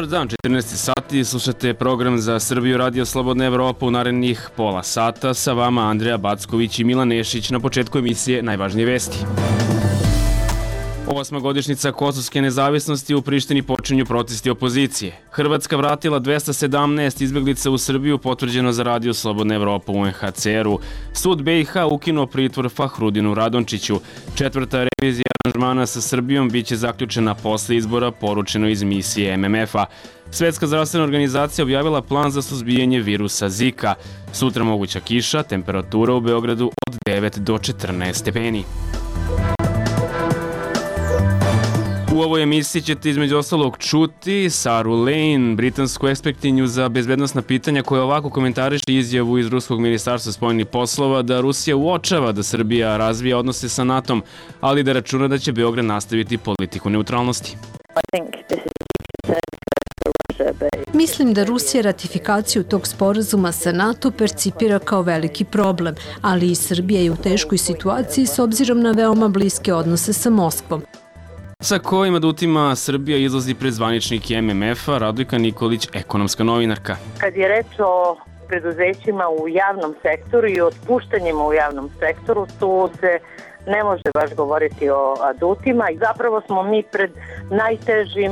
Dobar dan, 14 sati, slušate program za Srbiju Radio Slobodna Evropa u narednih pola sata. Sa vama Andreja Backović i Milan Nešić. Na početku emisije najvažnije vesti. 8. godišnjica kosovske nezavisnosti, u Prištini počinju protesti opozicije. Hrvatska vratila 217 izbeglica u Srbiju, potvrđeno za Radio Slobodna Evropa u UNHCR-u. Sud BiH ukinuo pritvor Fahrudinu Radončiću. 4. revizija aranžmana sa Srbijom biće zaključena posle izbora, poručeno iz misije MMF-a. Svetska zdravstvena organizacija objavila plan za suzbijanje virusa Zika. Sutra moguća kiša, temperatura u Beogradu od 9 do 14 stepeni. U ovoj emisiji ćete između ostalog čuti Saru Lane, britansku ekspertinju za bezbednosna pitanja, koja ovako komentariše izjavu iz Ruskog ministarstva spoljnih poslova da Rusija uočava da Srbija razvija odnose sa NATO-om, ali da računa da će Beograd nastaviti politiku neutralnosti. Mislim da Rusija ratifikaciju tog sporazuma sa NATO percipira kao veliki problem, ali i Srbija je u teškoj situaciji s obzirom na veoma bliske odnose sa Moskvom. Sa kojim adutima Srbija izlazi pred zvaničnike MMF-a, Radojka Nikolić, ekonomska novinarka. Kad je reč o preduzećima u javnom sektoru i otpuštanjima u javnom sektoru, tu se ne može baš govoriti o adutima. Zapravo smo mi pred najtežim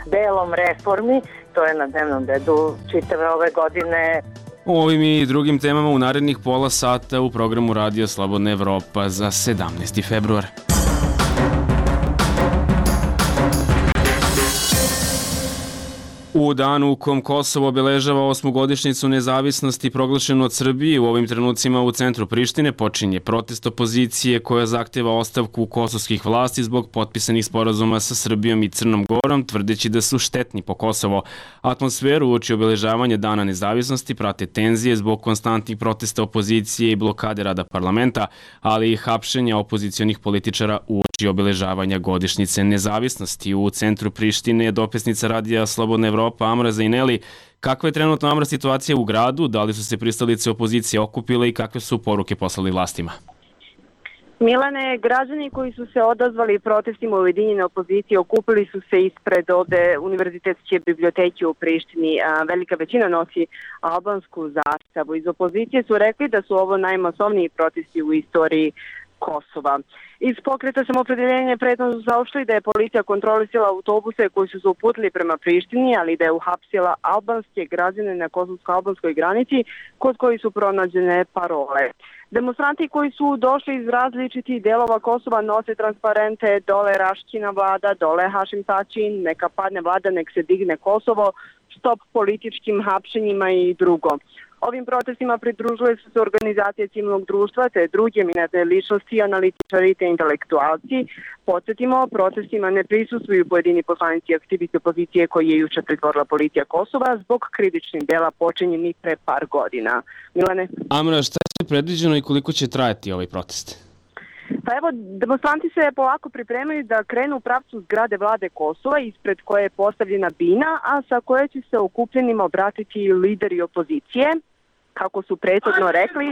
delom reformi, to je na dnevnom redu čitave ove godine. O ovim i drugim temama u narednih pola sata u programu Radio Slobodna Evropa za 17. februar. U danu u kom Kosovo obeležava 8. godišnjicu nezavisnosti proglašenu od Srbije, u ovim trenucima u centru Prištine počinje protest opozicije koja zahteva ostavku kosovskih vlasti zbog potpisanih sporazuma sa Srbijom i Crnom Gorom, tvrdeći da su štetni po Kosovo. Atmosferu uoči obeležavanja Dana nezavisnosti prate tenzije zbog konstantnih protesta opozicije i blokade rada parlamenta, ali i hapšenja opozicionih političara uoči obeležavanja godišnjice nezavisnosti. U centru Prištine je dopisnica Radija Slobodna Evropa Amra Zaineli. Kakva je trenutno, Amra, situacija u gradu? Da li su se pristalice opozicije okupile i kakve su poruke poslali vlastima? Milane, građani koji su se odazvali protestima ujedinjene opozicije okupili su se ispred ovde Univerzitetske biblioteke u Prištini. Velika većina nosi albansku zastavu. Iz opozicije su rekli da su ovo najmasovniji protesti u istoriji Kosova. Iz pokreta Samoopredeljenja prethodno su saopštili da je policija kontrolisala autobuse koji su se uputili prema Prištini, ali da je uhapsila albanske građane na kosovsko-albanskoj granici kod koji su pronađene parole. Demonstranti koji su došli iz različitih delova Kosova nose transparente "Dole Raškina vlada", "Dole Hašim Tači", "Neka padne vlada, nek se digne Kosovo", "Stop političkim hapšenjima" i drugo. Ovim protestima pridružuje su se organizacije civilnog društva te druge eminentne ličnosti, analitičari te intelektualci. Podsjetimo, protestima ne prisustvuju pojedini poslanici i aktivisti opozicije koji je juče pritvorila policija Kosova zbog krivičnih dela počinjenih pre par godina. Milane? Amra, šta je predviđeno i koliko će trajati ovaj protest? Pa evo, demonstranti se polako pripremaju da krenu u pravcu zgrade vlade Kosova, ispred koje je postavljena bina, a sa koje će se okupljenima obratiti lideri opozicije. Kako su prethodno rekli,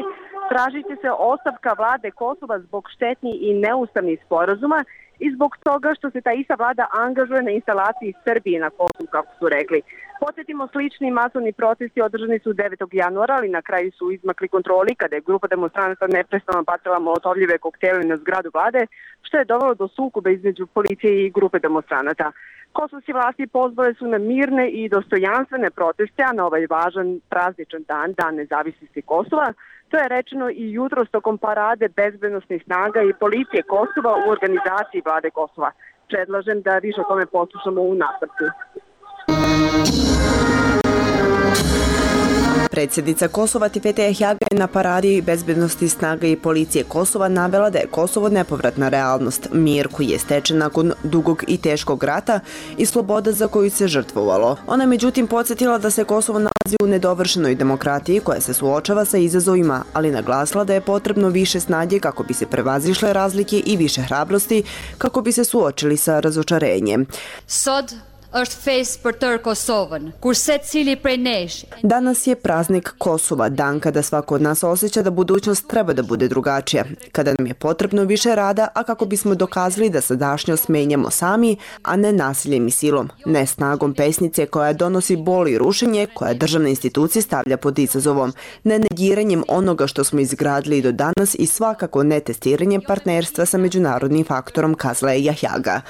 tražit će se ostavka vlade Kosova zbog štetnih i neustavnih sporazuma i zbog toga što se ta ista vlada angažuje na instalaciji Srbije na Kosovu, kako su rekli. Podsjetimo, slični masovni protesti održani su 9. januara, ali na kraju su izmakli kontroli kada je grupa demonstranata neprestano bacala molotovljive koktele na zgradu vlade, što je dovelo do sukoba između policije i grupe demonstranata. Kosovske vlasti pozvale su na mirne i dostojanstvene proteste, a na ovaj važan prazničan dan, Dan nezavisnosti Kosova, to je rečeno i jutros tokom parade bezbednosnih snaga i policije Kosova u organizaciji vlade Kosova. Predlažem da više o tome poslušamo u nastavku. Predsjednica Kosova Tipete Ehjaga je na paradi bezbednosti snaga i policije Kosova navela da je Kosovo nepovratna realnost, mir koji je stečen nakon dugog i teškog rata i sloboda za koju se žrtvovalo. Ona je međutim podsjetila da se Kosovo nalazi u nedovršenoj demokratiji koja se suočava sa izazovima, ali naglasila da je potrebno više snage kako bi se prevazišle razlike i više hrabrosti kako bi se suočili sa razočarenjem. Sad Danas je praznik Kosova, dan kada svako od nas osjeća da budućnost treba da bude drugačija, kada nam je potrebno više rada, a kako bismo dokazali da sadašnjost menjamo sami, a ne nasiljem i silom, ne snagom pesnice koja donosi bol i rušenje, koja državne institucije stavlja pod izazovom, ne negiranjem onoga što smo izgradili do danas i svakako ne testiranjem partnerstva sa međunarodnim faktorom, kazala je Jahjaga.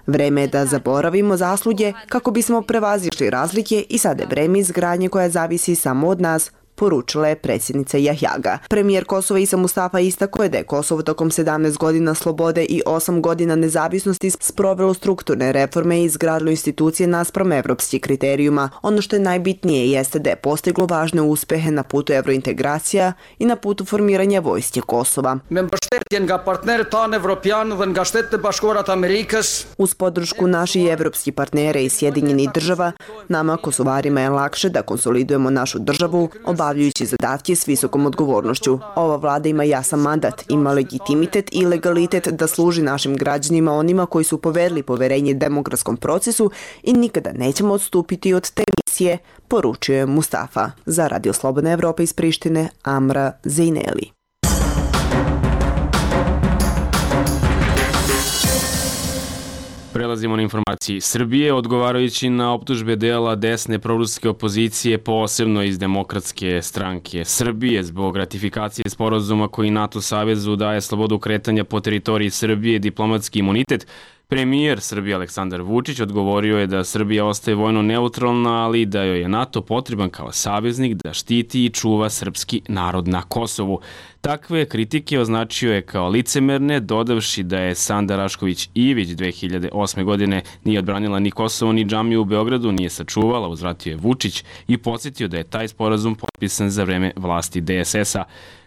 Vreme je da zaboravimo zasluge kako bismo prevazišli razlike i sada je vreme izgradnje koja zavisi samo od nas, poručila je predsjednica Jahjaga. Premijer Kosova Isa Mustafa istakao je da je Kosovo tokom 17 godina slobode i 8 godina nezavisnosti sprovelo strukturne reforme i izgradilo institucije naspram evropskih kriterijuma. Ono što je najbitnije jeste da je postiglo važne uspehe na putu evrointegracija i na putu formiranja vojske Kosova. Uz podršku naših evropskih partnera i Sjedinjenih država, nama Kosovarima je lakše da konsolidujemo našu državu, obavljajući zadatke s visokom odgovornošću. Ova vlada ima jasan mandat, ima legitimitet i legalitet da služi našim građanima, onima koji su povedli poverenje demokratskom procesu i nikada nećemo odstupiti od te misije, poručuje Mustafa. Za Radio Slobodna Evropa iz Prištine, Amra Zejneli. Prelazimo na informaciji Srbije, odgovarajući na optužbe dela desne proruske opozicije, posebno iz Demokratske stranke Srbije, zbog ratifikacije sporazuma koji NATO savezu daje slobodu kretanja po teritoriji Srbije, diplomatski imunitet. Premijer Srbije Aleksandar Vučić odgovorio je da Srbija ostaje vojno neutralna, ali da joj je NATO potreban kao saveznik da štiti i čuva srpski narod na Kosovu. Takve kritike označio je kao licemerne, dodavši da je Sanda Rašković Ivić 2008. godine nije odbranila ni Kosovo ni džamiju u Beogradu, nije sačuvala, uzvratio je Vučić i podsjetio da je taj sporazum potpisan za vreme vlasti DSS-a.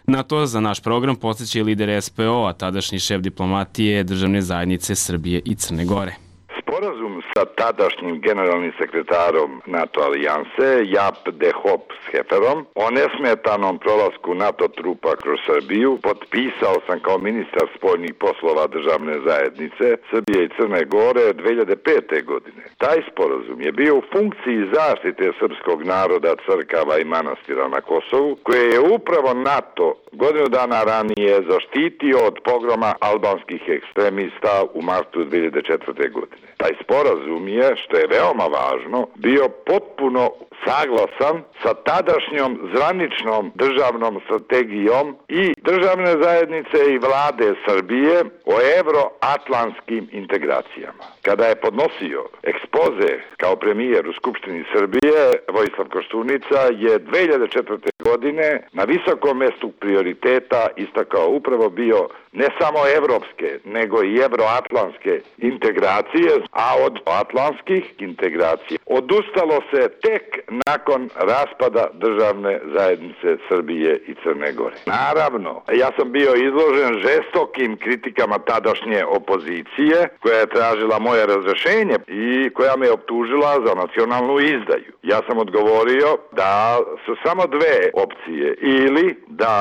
Na to za naš program podsjeća i lider SPO-a, tadašnji šef diplomatije Državne zajednice Srbije i Crne Gore. Sporazum sa tadašnjim generalnim sekretarom NATO alijanse Jaap de Hoop Schefferom o nesmetanom prolasku NATO trupa kroz Srbiju potpisao sam kao ministar spoljnih poslova Državne zajednice Srbije i Crne Gore 2005. godine. Taj sporazum je bio u funkciji zaštite srpskog naroda, crkava i manastira na Kosovu, koje je upravo NATO godinu dana ranije zaštitio od pogroma albanskih ekstremista u martu 2004. godine. Taj sporazum je, što je veoma važno, bio potpuno saglasan sa tadašnjom zvaničnom državnom strategijom i Državne zajednice i vlade Srbije o evroatlantskim integracijama. Kada je podnosio ekspoze kao premijer u Skupštini Srbije, Vojislav Koštunica je 2004. godine na visokom mestu prioriteta istakao upravo bio ne samo evropske, nego i evroatlantske integracije, a od atlantskih integracija odustalo se tek nakon raspada Državne zajednice Srbije i Crne Gore. Naravno, ja sam bio izložen žestokim kritikama tadašnje opozicije, koja je tražila moje razrešenje i koja me optužila za nacionalnu izdaju. Ja sam odgovorio da su samo dve opcije, ili da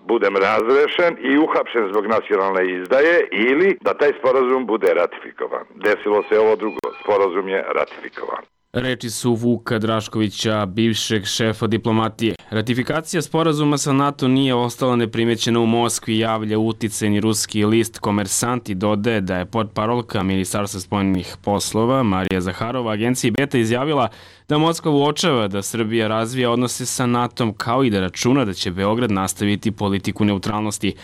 budem razrešen i uhapšen zbog nacionalne izdaje, ili da taj sporazum bude ratifikovan. Desilo se ovo drugo, sporazum je ratifikovan. Reči su Vuka Draškovića, bivšeg šefa diplomatije. Ratifikacija sporazuma sa NATO nije ostala neprimećena u Moskvi, javlja uticajni ruski list Komersant i dodaje da je portparolka Ministarstva spoljnih poslova Marija Zaharova agenciji Beta izjavila da Moskva uočava da Srbija razvija odnose sa NATO-om, kao i da računa da će Beograd nastaviti politiku neutralnosti.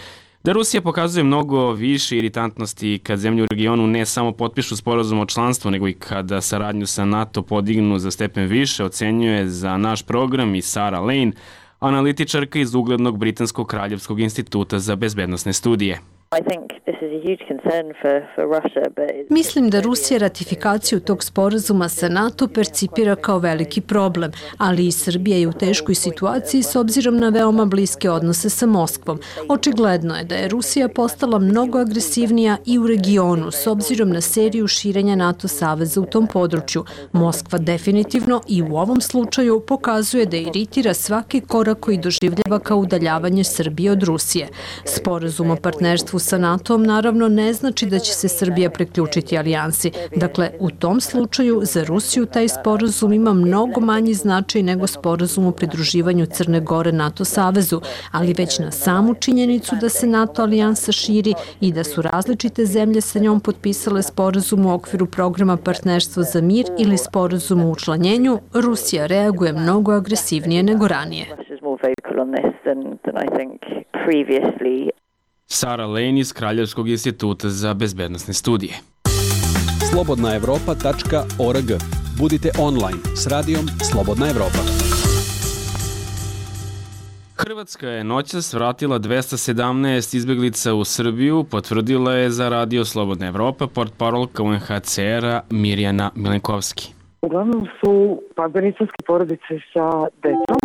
Da Rusija pokazuje mnogo više iritantnosti kad zemlje u regionu ne samo potpišu sporazum o članstvu, nego i kada saradnju sa NATO podignu za stepen više, ocenjuje za naš program i Sarah Lane, analitičarka iz uglednog Britanskog kraljevskog instituta za bezbednosne studije. Mislim da Rusija ratifikaciju tog sporazuma sa NATO percipira kao veliki problem, ali i Srbija je u teškoj situaciji s obzirom na veoma bliske odnose sa Moskvom. Očigledno je da je Rusija postala mnogo agresivnija i u regionu s obzirom na seriju širenja NATO saveza u tom području. Moskva definitivno i u ovom slučaju pokazuje da iritira svaki korak koji doživljava kao udaljavanje Srbije od Rusije. Sporazum o partnerstvu partnerstvu sa NATO-om naravno ne znači da će se Srbija priključiti alijansi. Dakle, u tom slučaju za Rusiju taj sporazum ima mnogo manji značaj nego sporazum o pridruživanju Crne Gore NATO savezu, ali već na samu činjenicu da se NATO alijansa širi i da su različite zemlje sa njom potpisale sporazum u okviru programa Partnerstvo za mir ili sporazum o učlanjenju, Rusija reaguje mnogo agresivnije nego ranije. Sara Lane iz Kraljevskog instituta za bezbednosne studije. slobodnaevropa.org. Budite online s radijom Slobodna Evropa. Hrvatska je noćas vratila 217 izbeglica u Srbiju, potvrdila je za radio Slobodna Evropa portparolka UNHCR-a Mirjana Milenkovski. Uglavnom su afganistanske porodice sa decom,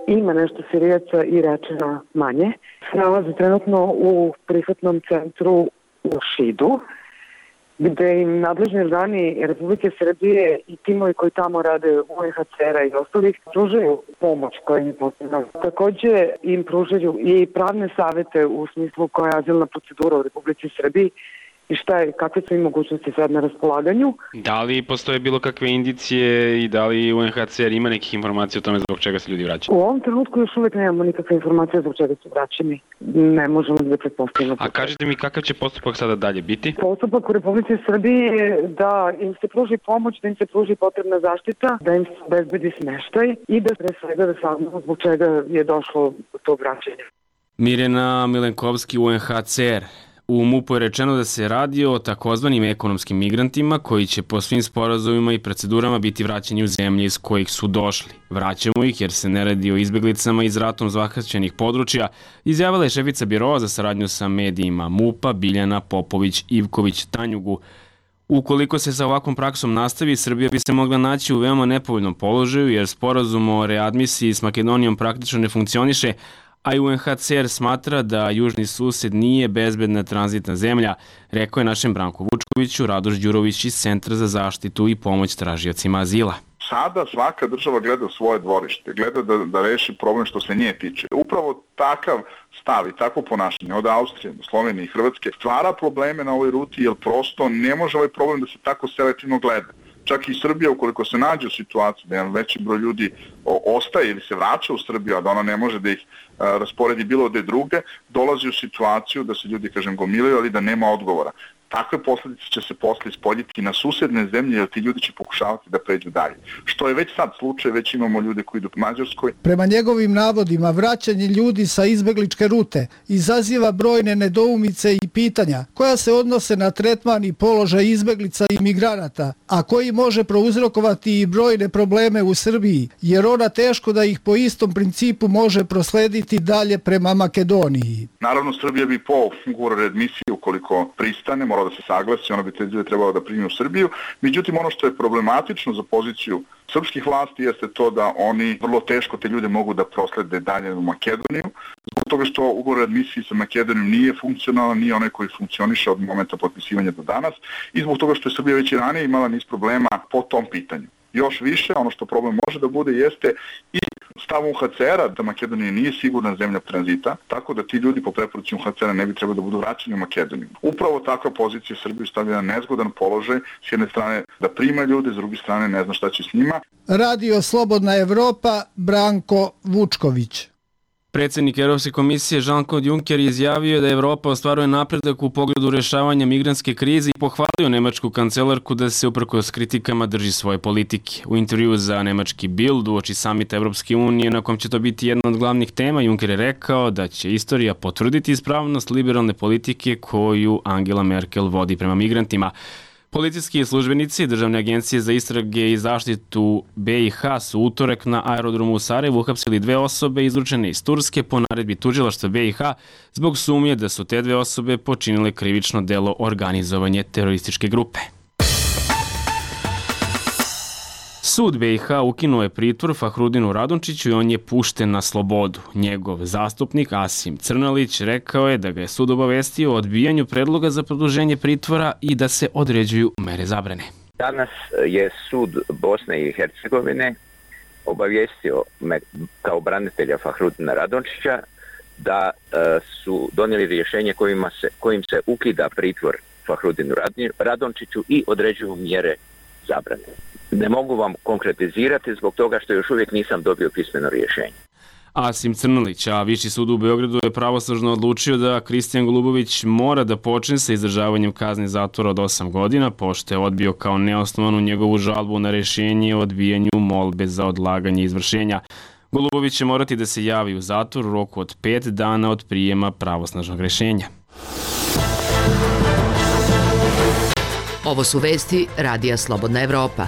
ima nešto Sirijaca i Iračana manje. Nalaze trenutno u prihvatnom centru u Šidu, gde im nadležni organi Republike Srbije i timovi koji tamo rade UNHCR-a i ostalih pružaju pomoć koja im je potrebna. Takođe im pružaju i pravne savete u smislu koja je azilna procedura u Republici Srbiji i kakve su im mogućnosti sad na raspolaganju. Da li postoje bilo kakve indicije i da li UNHCR ima nekih informacija o tome zbog čega se ljudi vraćaju? U ovom trenutku još uvek nemamo nikakve informacije zbog čega su vraćeni. Ne možemo da pretpostavimo. A kažete mi kakav će postupak sada dalje biti? Postupak u Republici Srbiji je da im se pruži pomoć, da im se pruži potrebna zaštita, da im se obezbedi smeštaj i da pre svega da saznamo zbog čega je došlo do tog vraćanja. Mirjana Milenkovski, UNHCR. U MUP-u je rečeno da se radi o takozvanim ekonomskim migrantima koji će po svim sporazumima i procedurama biti vraćeni u zemlje iz kojih su došli. Vraćamo ih jer se ne radi o izbeglicama iz ratom zahvaćenih područja, izjavila je šefica biroa za saradnju sa medijima MUP-a Biljana Popović-Ivković Tanjugu. Ukoliko se sa ovakvom praksom nastavi, Srbija bi se mogla naći u veoma nepovoljnom položaju jer sporazum o readmisiji s Makedonijom praktično ne funkcioniše, a i UNHCR smatra da južni sused nije bezbedna tranzitna zemlja, rekao je našem Branku Vučkoviću Radoš Đurović iz Centra za zaštitu i pomoć tražiocima azila. Sada svaka država gleda svoje dvorište, gleda da reši problem što se nje tiče. Upravo takav stav i takvo ponašanje od Austrije do Slovenije i Hrvatske stvara probleme na ovoj ruti jer prosto ne može ovaj problem da se tako selektivno gleda. Čak i Srbija, ukoliko se nađe u situaciji da jedan veći broj ljudi ostaje ili se vraća u Srbiju, a da ona ne može da ih rasporedi bilo gde druge, dolazi u situaciju da se ljudi, gomilaju, ali da nema odgovora. Takve posljedice će se posle ispoljiti na susedne zemlje, jer ti ljudi će pokušavati da pređu dalje. Što je već sad slučaj, već imamo ljude koji idu u Mađarskoj. Prema njegovim navodima, vraćanje ljudi sa izbegličke rute izaziva brojne nedoumice i pitanja koja se odnose na tretman i položaj izbeglica i migranata, a koji može prouzrokovati i brojne probleme u Srbiji, jer ona teško da ih po istom principu može proslediti dalje prema Makedoniji. Naravno, Srbija bi po ugovoru readmisije, ukoliko pristane, mora da se saglasi, ona bi te ljude trebalo da primi u Srbiju. Međutim, ono što je problematično za poziciju srpskih vlasti jeste to da oni vrlo teško te ljude mogu da proslede dalje u Makedoniju, zbog toga što ugovor o admisiji sa Makedonijom nije funkcionalan, nije onaj koji funkcioniše od momenta potpisivanja do danas i zbog toga što je Srbija već i ranije imala niz problema po tom pitanju. Još više, ono što problem može da bude jeste i stav UNHCR-a da Makedonija nije sigurna zemlja tranzita, tako da ti ljudi po preporuci UNHCR-a ne bi trebali da budu vraćeni u Makedoniju. Upravo takva pozicija Srbiju stavlja na nezgodan položaj, s jedne strane da prima ljude, s druge strane ne zna šta će s njima. Radio Slobodna Evropa, Branko Vučković. Predsjednik Evropske komisije Jean-Claude Juncker izjavio da Evropa ostvaruje napredak u pogledu rješavanja migrantske krize i pohvalio nemačku kancelarku da se uprkos kritikama drži svoje politike. U intervjuu za nemački Bild uoči samita Evropske unije, na kom će to biti jedna od glavnih tema, Juncker je rekao da će istorija potvrditi ispravnost liberalne politike koju Angela Merkel vodi prema migrantima. Policijski službenici Državne agencije za istrage i zaštitu BiH su utorak na aerodromu u Sarajevu uhapsili 2 osobe izručene iz Turske po naredbi tužilaštva BiH zbog sumnje da su te 2 osobe počinile krivično delo organizovanje terorističke grupe. Sud BiH ukinuo je pritvor Fahrudinu Radončiću i on je pušten na slobodu. Njegov zastupnik Asim Crnalić rekao je da ga je sud obavestio o odbijanju predloga za produženje pritvora i da se određuju mere zabrane. Danas je sud Bosne i Hercegovine obavijestio me kao branitelja Fahrudina Radončića da su donijeli rješenje kojim se ukida pritvor Fahrudinu Radončiću i određuju mjere zabrane. Ne mogu vam konkretizirati zbog toga što još uvijek nisam dobio pismeno rješenje. Asim Crnolić, a Viši sud u Beogradu je pravosnažno odlučio da Kristijan Golubović mora da počne sa izdržavanjem kazne zatvora od 8 godina, pošto je odbio kao neosnovanu njegovu žalbu na rješenje o odbijanju molbe za odlaganje izvršenja. Golubović će morati da se javi u zatvor u roku od 5 dana od prijema pravosnažnog rješenja. Ovo su vesti Radija Slobodna Evropa.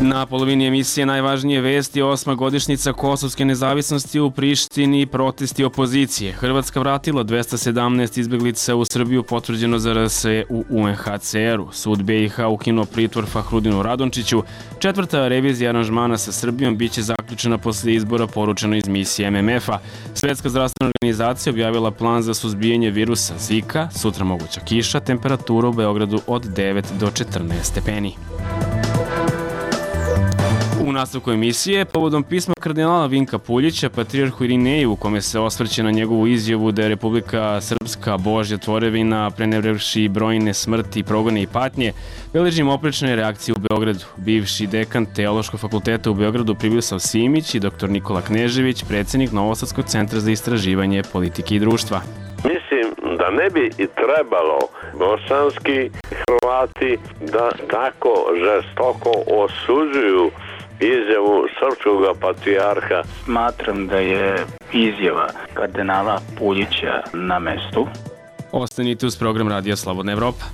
Na polovini emisije najvažnije vesti: 8. godišnjica kosovske nezavisnosti u Prištini i protesti opozicije. Hrvatska vratila 217 izbeglica u Srbiju, potvrđeno za RS u UNHCR-u. Sud BiH ukinuo pritvor Fahrudinu Radončiću. 4. revizija aranžmana sa Srbijom biće zaključena posle izbora, poručeno iz misije MMF-a. Svetska zdravstvena organizacija objavila plan za suzbijanje virusa Zika. Sutra moguća kiša, temperatura u Beogradu od 9 do 14 stepeni. U nastavku emisije, povodom pisma kardinala Vinka Puljića patrijarhu Irineju, u kome se osvrće na njegovu izjavu da je Republika Srpska Božja tvorevina, prenevrevši brojne smrti, progone i patnje, beležimo oprečne reakcije u Beogradu. Bivši dekan Teološkog fakulteta u Beogradu Pribisav Simić i dr. Nikola Knežević, predsjednik Novosadskog centra za istraživanje politike i društva. Mislim da ne bi i trebalo bosanski Hrvati da tako žestoko osuđuju izjavu srpskog patrijarha. Smatram da je izjava kardinala Puljića na mestu. Ostanite uz program Radija Slobodna Evropa.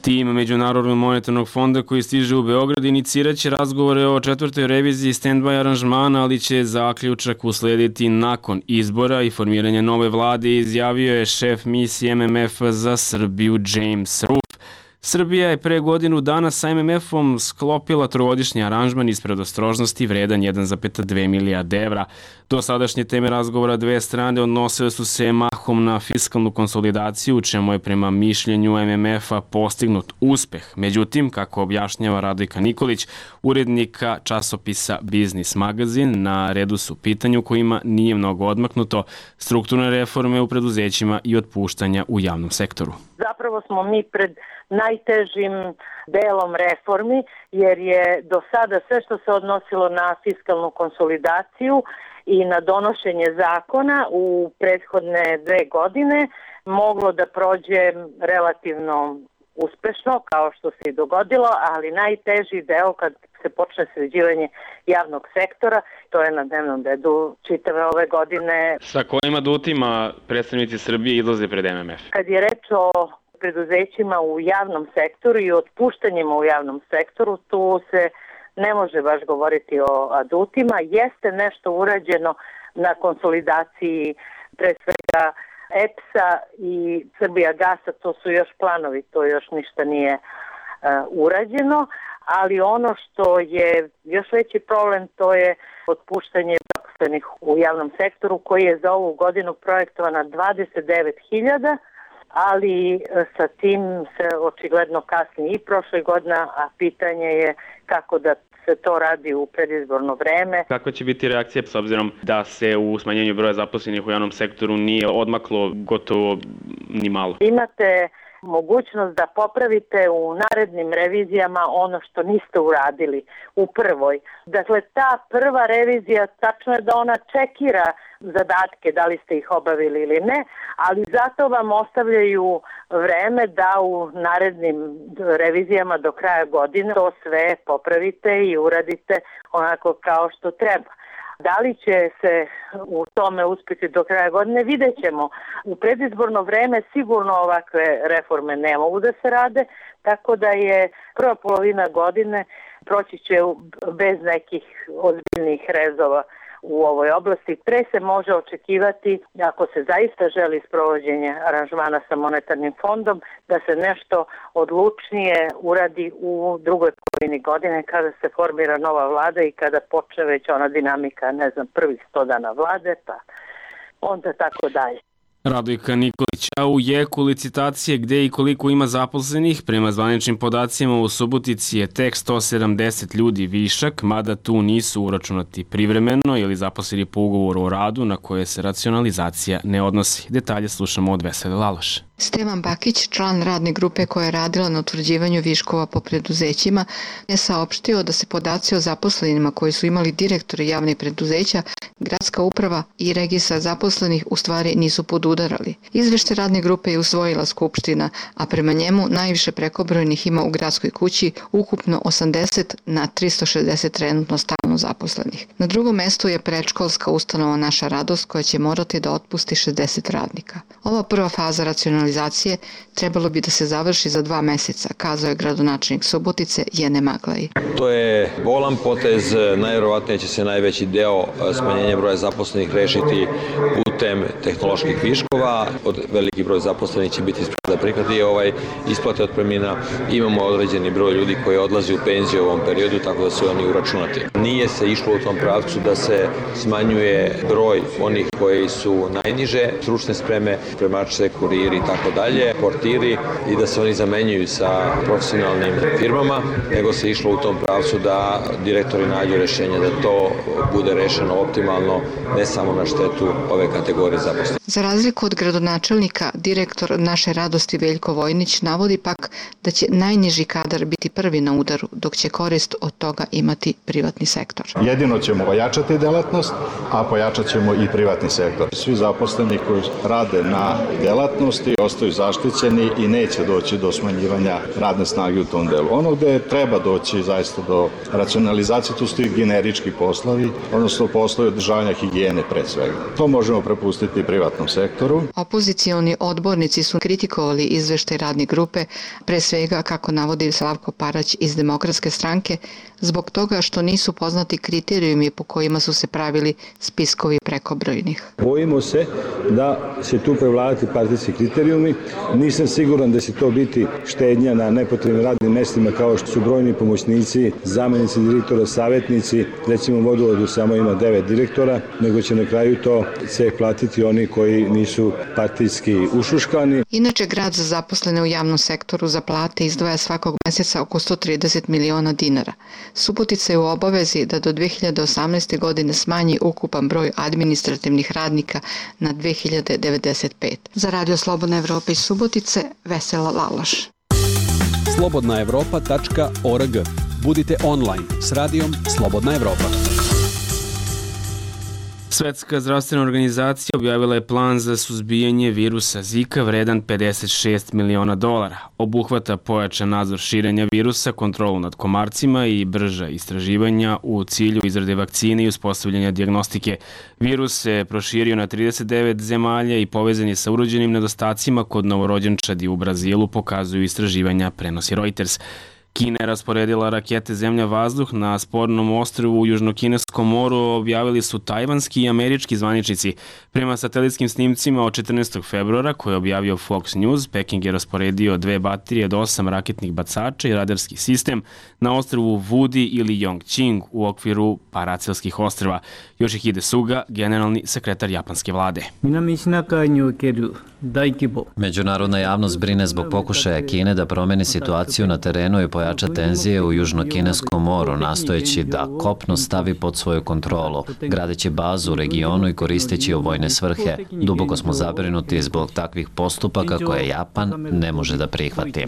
Tim Međunarodnog monetarnog fonda koji stiže u Beograd iniciraće razgovore o 4. reviziji stand-by aranžmana, ali će zaključak uslediti nakon izbora i formiranja nove vlade, izjavio je šef misije MMF za Srbiju James Roof. Srbija je pre godinu dana sa MMF-om sklopila trogodišnji aranžman iz predostrožnosti vredan 1,2 milijarde evra. Do sadašnje teme razgovora dve strane odnosile su se mahom na fiskalnu konsolidaciju, u čemu je prema mišljenju MMF-a postignut uspeh. Međutim, kako objašnjava Radojka Nikolić, urednika časopisa Biznis magazin, na redu su pitanja u kojima nije mnogo odmaknuto: strukturne reforme u preduzećima i otpuštanja u javnom sektoru. Zapravo smo mi pred najtežim delom reformi, jer je do sada sve što se odnosilo na fiskalnu konsolidaciju i na donošenje zakona u prethodne 2 godine moglo da prođe relativno uspešno, kao što se i dogodilo, ali najteži deo kad se počne sređivanje javnog sektora, to je na dnevnom redu čitave ove godine. Sa kojim adutima predstavnici Srbije izlaze pred MMF? Kad je reč o preduzećima u javnom sektoru i otpuštanjima u javnom sektoru, tu se ne može baš govoriti o adutima. Jeste nešto urađeno na konsolidaciji pre svega EPS-a i Srbijagasa, to su još planovi, to još ništa nije urađeno, ali ono što je još veći problem, to je otpuštanje zaposlenih u javnom sektoru, koji je za ovu godinu projektovana 29.000, ali sa tim se očigledno kasni i prošle godine, a pitanje je kako da se to radi u predizborno vreme. Kakva će biti reakcija s obzirom da se u smanjenju broja zaposlenih u javnom sektoru nije odmaklo gotovo ni malo? Imate mogućnost da popravite u narednim revizijama ono što niste uradili u prvoj. Dakle, ta prva revizija, tačno je da ona čekira zadatke, da li ste ih obavili ili ne, ali zato vam ostavljaju vreme da u narednim revizijama do kraja godine to sve popravite i uradite onako kao što treba. Da li će se u tome uspjeti do kraja godine, vidjet ćemo. U predizborno vreme sigurno ovakve reforme ne mogu da se rade, tako da je prva polovina godine proći će bez nekih ozbiljnih rezova u ovoj oblasti. Pre se može očekivati, ako se zaista želi sprovođenje aranžmana sa monetarnim fondom, da se nešto odlučnije uradi u drugoj polovini godine kada se formira nova vlada i kada počne već ona dinamika, prvih 100 dana vlade, pa onda tako dalje. Radojka Nikolić Bakić. A u jeku licitacije gde i koliko ima zaposlenih, prema zvaničnim podacima u Subotici je tek 170 ljudi višak, mada tu nisu uračunati privremeno ili zaposleni po ugovoru o radu na koje se racionalizacija ne odnosi. Detalje slušamo od Vesele Laloše. Stevan Bakić, član radne grupe koja je radila na utvrđivanju viškova po preduzećima, je saopštio da se podaci o zaposlenima koji su imali direktori javnih preduzeća, gradska uprava i registar zaposlenih u stvari nisu podudarali. Izveštaj radne grupe je usvojila Skupština, a prema njemu najviše prekobrojnih ima u gradskoj kući, ukupno 80 na 360 trenutno stalno zaposlenih. Na drugom mestu je predškolska ustanova Naša radost koja će morati da otpusti 60 radnika. Ova prva faza racionalizacije trebalo bi da se završi za 2 meseca, kazao je gradonačelnik Subotice Jene Maglaji. To je bolan potez, najvjerovatnije će se najveći deo smanjenja broja zaposlenih rešiti putem tehnoloških viškova. Od veliki broj zaposlenih će biti da prihvati isplate otpremnina. Imamo određeni broj ljudi koji odlazi u penziju u ovom periodu, tako da su oni uračunati. Nije se išlo u tom pravcu da se smanjuje broj onih koji su najniže stručne spreme, spremačice, kuriri i tako dalje, portiri, i da se oni zamenjuju sa profesionalnim firmama, nego se išlo u tom pravcu da direktori nađu rešenje da to bude rešeno optimalno, ne samo na štetu ove kategorije zaposlenih. Za razliku od gradonačelnika, direktor Naše radosti Veljko Vojnić navodi pak da će najniži kadar biti prvi na udaru, dok će korist od toga imati privatni sektor. Jedino ćemo ojačati delatnost, a pojačat ćemo i privatni sektor. Svi zaposleni koji rade na delatnosti ostaju zaštićeni i neće doći do smanjivanja radne snage u tom delu. Ono gde treba doći zaista do racionalizacije, tu su i generički poslovi, odnosno poslovi održavanja higijene pre svega. To možemo prepustiti privatnom sektoru. Opozicioni odbornici su kritikovali izveštaj radne grupe, pre svega, kako navodi Slavko Parać iz Demokratske stranke, zbog toga što nisu poznati kriterijumi po kojima su se pravili spiskovi prekobrojnih. Bojimo se da će tu prevladati partijski kriterijumi. Nisam siguran da će to biti štednja na nepotrebnim radnim mestima kao što su brojni pomoćnici, zamenici direktora, savjetnici, recimo u Vodovodu samo ima 9 direktora, nego će na kraju to ceh platiti oni koji nisu partijski ušuškani. Inače, grad za zaposlene u javnom sektoru za plate izdvaja svakog meseca oko 130 miliona dinara. Subotica je u obavezi da do 2018. godine smanji ukupan broj administrativnih radnika na 2095. Za Radio Slobodna Evropa iz Subotice, Vesela Laloš. slobodnaevropa.org. Budite online s radijom Slobodna Evropa. Svetska zdravstvena organizacija objavila je plan za suzbijanje virusa Zika vredan $56 miliona. Obuhvata pojačan nadzor širenja virusa, kontrolu nad komarcima i brža istraživanja u cilju izrade vakcine i uspostavljanja dijagnostike. Virus se proširio na 39 zemalja i povezan je sa urođenim nedostacima kod novorođenčadi u Brazilu, pokazuju istraživanja, prenosi Reuters. Kina je rasporedila rakete zemlja-vazduh na spornom ostrvu u Južnokineskom moru, objavili su tajvanski i američki zvaničnici. Prema satelitskim snimcima od 14. februara, koje je objavio Fox News, Peking je rasporedio 2 baterije od 8 raketnih bacača i radarski sistem na ostrvu Wudi ili Yongqing u okviru Paracelskih ostrva. Yoshihide Suga, generalni sekretar japanske vlade. Međunarodna javnost brine zbog pokušaja Kine da promeni situaciju na terenu i pojača tenzije u Južnokineskom moru, nastojeći da kopno stavi pod svoju kontrolu, gradeći bazu u regionu i koristeći u vojne svrhe. Duboko smo zabrinuti zbog takvih postupaka koje Japan ne može da prihvati.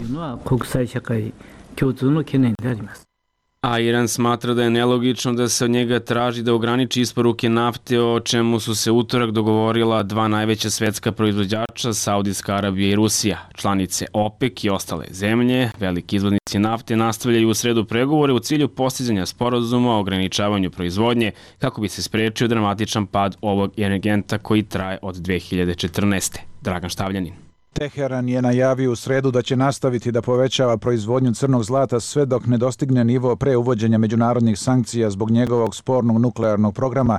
A Iran smatra da je nelogično da se od njega traži da ograniči isporuke nafte, o čemu su se utorak dogovorila 2 najveća svetska proizvođača, Saudijska Arabija i Rusija. Članice OPEC i ostale zemlje, veliki izvoznici nafte, nastavljaju u sredu pregovore u cilju postizanja sporazuma o ograničavanju proizvodnje kako bi se sprečio dramatičan pad ovog energenta koji traje od 2014. Dragan Štavljanin. Teheran je najavio u sredu da će nastaviti da povećava proizvodnju crnog zlata sve dok ne dostigne nivo pre uvođenja međunarodnih sankcija zbog njegovog spornog nuklearnog programa,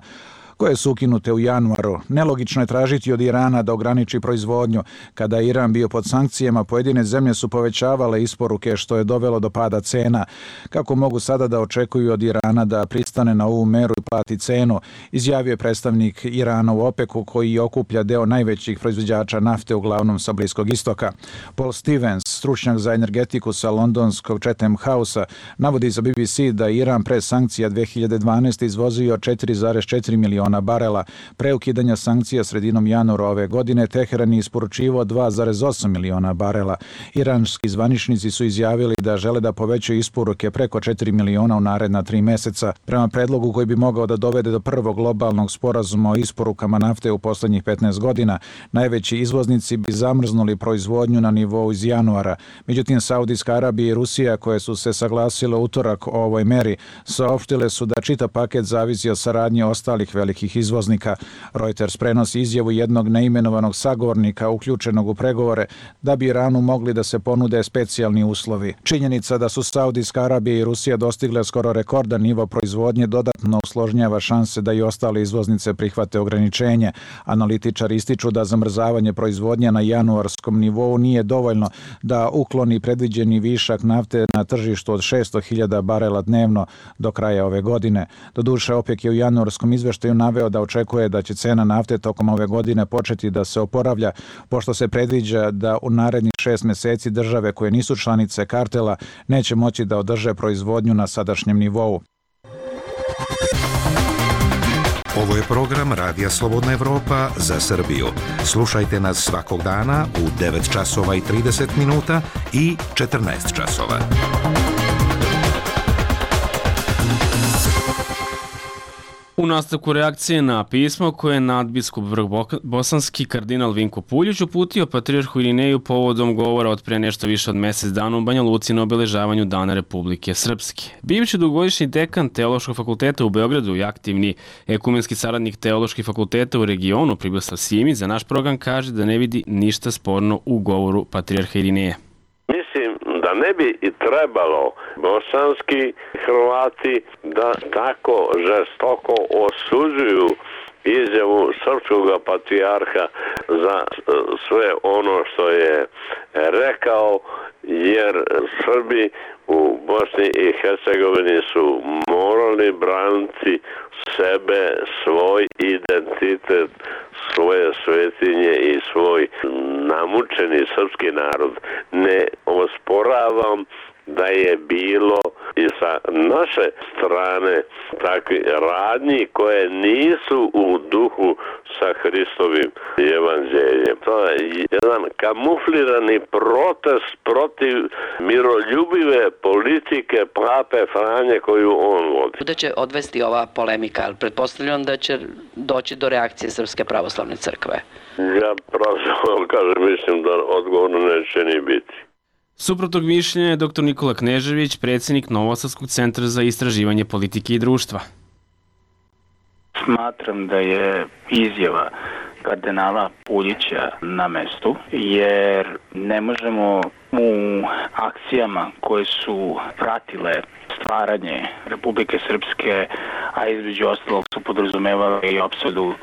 koje su ukinute u januaru. Nelogično je tražiti od Irana da ograniči proizvodnju. Kada je Iran bio pod sankcijama, pojedine zemlje su povećavale isporuke, što je dovelo do pada cena. Kako mogu sada da očekuju od Irana da pristane na ovu meru i plati cenu, izjavio je predstavnik Irana u OPEC-u, koji okuplja deo najvećih proizvođača nafte uglavnom sa Bliskog istoka. Paul Stevens, stručnjak za energetiku sa londonskog Chatham House-a, navodi za BBC da Iran pre sankcija 2012. izvozio 4,4 miliona barela. Pre ukidanja sankcija sredinom januara ove godine Teheran je isporučivao 2,8 miliona barela. Iranski zvaničnici su izjavili da žele da povećaju isporuke preko 4 miliona u naredna 3 meseca. Prema predlogu koji bi mogao da dovede do prvog globalnog sporazuma o isporukama nafte u poslednjih 15 godina, najveći izvoznici bi zamrznuli proizvodnju na nivou iz januara. Međutim, Saudijska Arabija i Rusija, koje su se saglasile utorak o ovoj meri, saopštile su da čitav paket zavisi od saradnje ostalih velikih izvoznika. Reuters prenosi izjavu jednog neimenovanog sagovornika uključenog u pregovore da bi Iranu mogli da se ponude specijalni uslovi. Činjenica da su Saudijska Arabija i Rusija dostigle skoro rekordan nivo proizvodnje dodatno usložnjava šanse da i ostale izvoznice prihvate ograničenje. Analitičari ističu da zamrzavanje proizvodnje na januarskom nivou nije dovoljno da ukloni predviđeni višak nafte na tržištu od 600.000 barela dnevno do kraja ove godine. Doduše, OPEC je u januarskom izveštaju naveo da očekuje da će cena nafte tokom ove godine početi da se oporavlja, pošto se predviđa da u narednih 6 meseci države koje nisu članice kartela neće moći da održe proizvodnju na sadašnjem nivou. Ovo je program Radija Slobodna Evropa za Srbiju. Slušajte nas svakog dana u 9 časova i 30 minuta i 14 časova. U nastavku reakcije na pismo koje je nadbiskup Vrhbosanski kardinal Vinko Puljić uputio patrijarhu Irineju povodom govora od pre nešto više od mesec dana u Banja Luci na obeležavanju Dana Republike Srpske. Bivši dugogodišnji dekan Teološkog fakulteta u Beogradu i aktivni ekumenski saradnik Teoloških fakulteta u regionu Pribislav Simić za naš program kaže da ne vidi ništa sporno u govoru patrijarha Irineja. Mislim da ne bi i trebalo bosanski Hrvati da tako žestoko osuđuju izjavu srpskog patrijarha za sve ono što je rekao, jer Srbi u Bosni i Hercegovini su morali braniti sebe, svoj identitet, svoje svetinje i svoj namučeni srpski narod. Ne osporavam da je bilo i sa naše strane takvi radnji koje nisu u duhu sa Hristovim evanđeljem. To je jedan kamuflirani protest protiv miroljubive politike pape Franje koju on vodi. Da će odvesti ova polemika, ali pretpostavljam da će doći do reakcije Srpske pravoslavne crkve. Ja pravoslavno kažem, mislim da odgovorno neće ni biti. Suprotnog mišljenja je dr. Nikola Knežević, predsjednik Novosadskog centra za istraživanje politike i društva. Smatram da je izjava kardinala Puljića na mestu, jer ne možemo u akcijama koje su pratile stvaranje Republike Srpske, a između ostalog su podrazumevali i opsadu,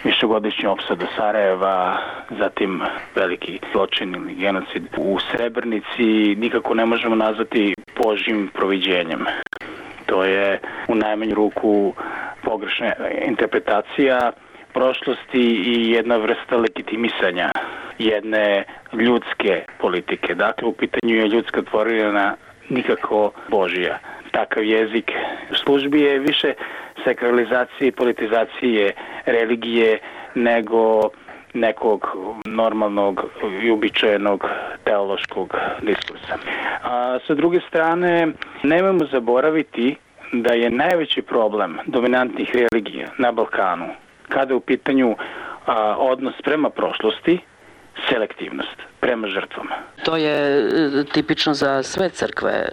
višegodišnju opsadu Sarajeva, zatim veliki zločin ili genocid u Srebrenici, nikako ne možemo nazvati Božjim proviđenjem. To je u najmanju ruku pogrešna interpretacija prošlosti i jedna vrsta legitimisanja jedne ljudske politike. Dakle, u pitanju je ljudska tvorevina, nikako Božija. Takav jezik u službi je više sakralizacije i politizacije religije nego nekog normalnog i uobičajenog teološkog diskursa. A sa druge strane, nemojmo zaboraviti da je najveći problem dominantnih religija na Balkanu, kada je u pitanju odnos prema prošlosti, selektivnost prema žrtvama. To je tipično za sve crkve?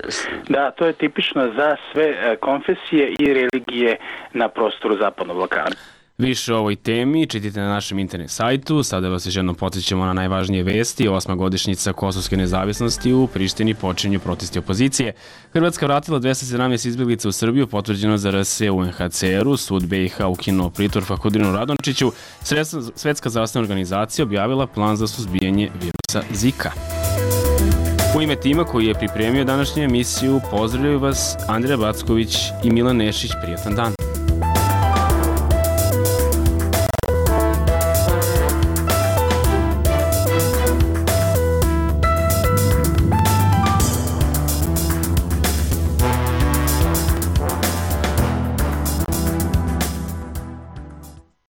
Da, to je tipično za sve konfesije i religije na prostoru Zapadnog Balkana. Više o ovoj temi čitajte na našem internet sajtu. Sada vas još jednom podsjećamo na najvažnije vesti. 8. godišnjica kosovske nezavisnosti, u Prištini počinju protesti opozicije. Hrvatska vratila 217 izbjeglica u Srbiju, potvrđeno za RS u UNHCR-u. Sud BiH ukinuo pritvor Fahrudinu Radončiću. Svetska zdravstvena organizacija objavila plan za suzbijanje virusa Zika. U ime tima koji je pripremio današnju emisiju, pozdravljaju vas Andreja Backović i Milan Nešić. Prijatan dan.